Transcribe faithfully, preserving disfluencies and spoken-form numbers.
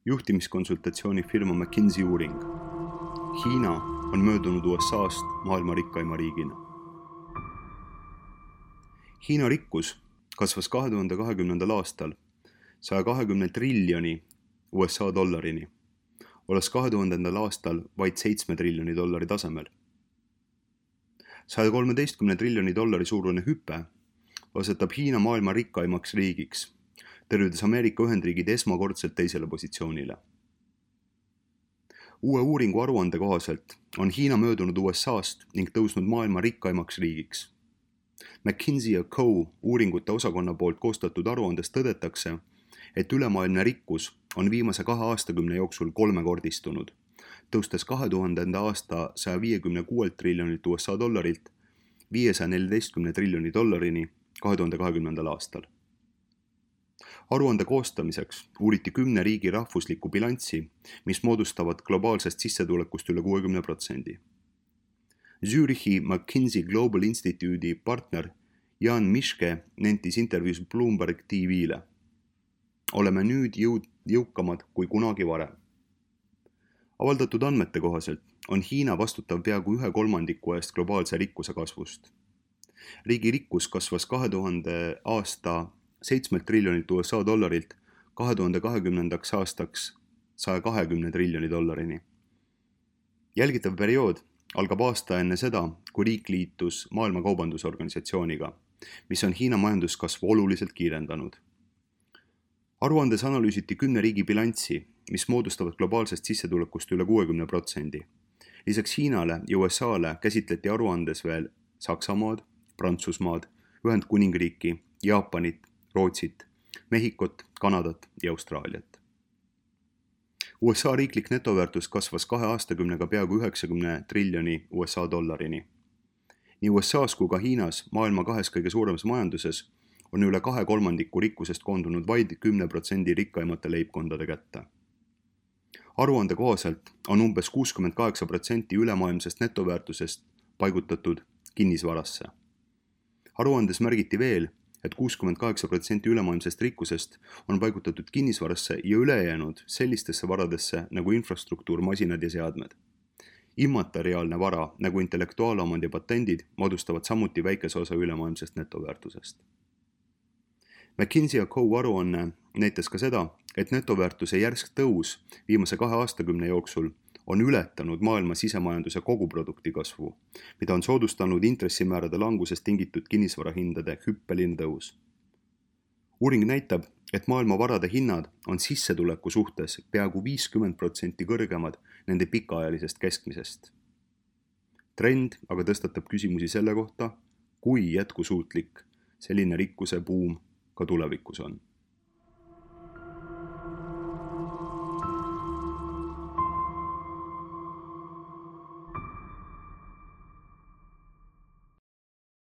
Juhtimiskonsultatsiooni firma McKinsey uuring. Hiina on möödunud U S A-st maailma rikkaima riigina. Hiina rikkus kasvas kahe tuhande kahekümnendal aastal saja kahekümne triljoni U S A dollarini, olles kahe tuhandendal aastal vaid seitsme triljoni dollari tasemel. saja kolmeteistkümne triljoni dollari suurune hüpe asetab Hiina maailma rikkaimaks riigiks, tervides Ameerika Ühendriigid esmakordselt teisele positsioonile. Uue uuringu aruande kohaselt on Hiina möödunud U S A-st ning tõusnud maailma rikkaimaks riigiks. McKinsey ja Co. uuringute osakonna poolt koostatud aruandes tõdetakse, et ülemaailmne rikkus on viimase kahe aastakümne jooksul kolmekordistunud, tõustes kahe tuhandenda aasta saja viiekümne kuuelt triljonilt U S A dollarilt viiesaja neljateistkümne triljoni dollarini kahe tuhande kahekümnendal aastal. Aruande koostamiseks uuriti kümne riigi rahvuslikku bilanssi, mis moodustavad globaalsest sissetulekust üle kuuekümne protsendi. Zürichi McKinsey Global Institute'i partner Jan Mischke nentis intervjuus Bloomberg T V-le. Oleme nüüd jõud, jõukamad kui kunagi varem. Avaldatud andmete kohaselt on Hiina vastutav peaaegu ühe kolmandiku eest globaalse rikkuse kasvust. Riigi rikkus kasvas kahe tuhande aasta seitsmelt triljonilt U S A dollarilt kahe tuhande kahekümnendaks aastaks saja kahekümne triljoni dollarini. Jälgitav periood algab aasta enne seda, kui riik liitus Maailma Kaubandusorganisatsiooniga, mis on Hiina majanduskasvu oluliselt kiirendanud. Aruandes analüüsiti kümne riigi bilanssi, mis moodustavad globaalsest sissetulekust üle kuuekümne protsendi. Lisaks Hiinale ja U S A-le käsitleti aruandes veel Saksamaad, Prantsusmaad, Ühendkuningriiki, Jaapanit, Rootsit, Mehhikot, Kanadat ja Austraaliat. U S A riiklik netoväärtus kasvas kahe aastakümnega peaaegu üheksakümne triljoni U S A dollarini. Nii U S A-s kui ka Hiinas, maailma kahes kõige suuremas majanduses, on üle kahe kolmandiku rikkusest koondunud vaid kümne protsendi rikkaimate leibkondade kätte. Aruande kohaselt on umbes kuuskümmend kaheksa protsenti ülemaailmsest netoväärtusest paigutatud kinnisvarasse. Aruandes märgiti veel, et kuuskümmend kaheksa protsenti ülemaailmsest rikkusest on paigutatud kinnisvarasse ja ülejäänud sellistesse varadesse nagu infrastruktuur, masinad ja seadmed. Immateriaalne vara nagu intellektuaalomand ja patendid moodustavad samuti väikese osa ülemaailmsest netoväärtusest. McKinsey ja Co. aruanne näitas ka seda, et netoväärtuse järsk tõus viimase kahe aastakümne jooksul on ületanud maailma sisemajanduse koguprodukti kasvu, mida on soodustanud intressimäärade langusest tingitud kinnisvarahindade hüppeline tõus. Uuring näitab, et maailma varade hinnad on sissetuleku suhtes peaaegu viiskümmend protsenti kõrgemad nende pikaajalisest keskmisest. Trend aga tõstatab küsimusi selle kohta, kui jätkusuutlik selline rikkuse buum ka tulevikus on.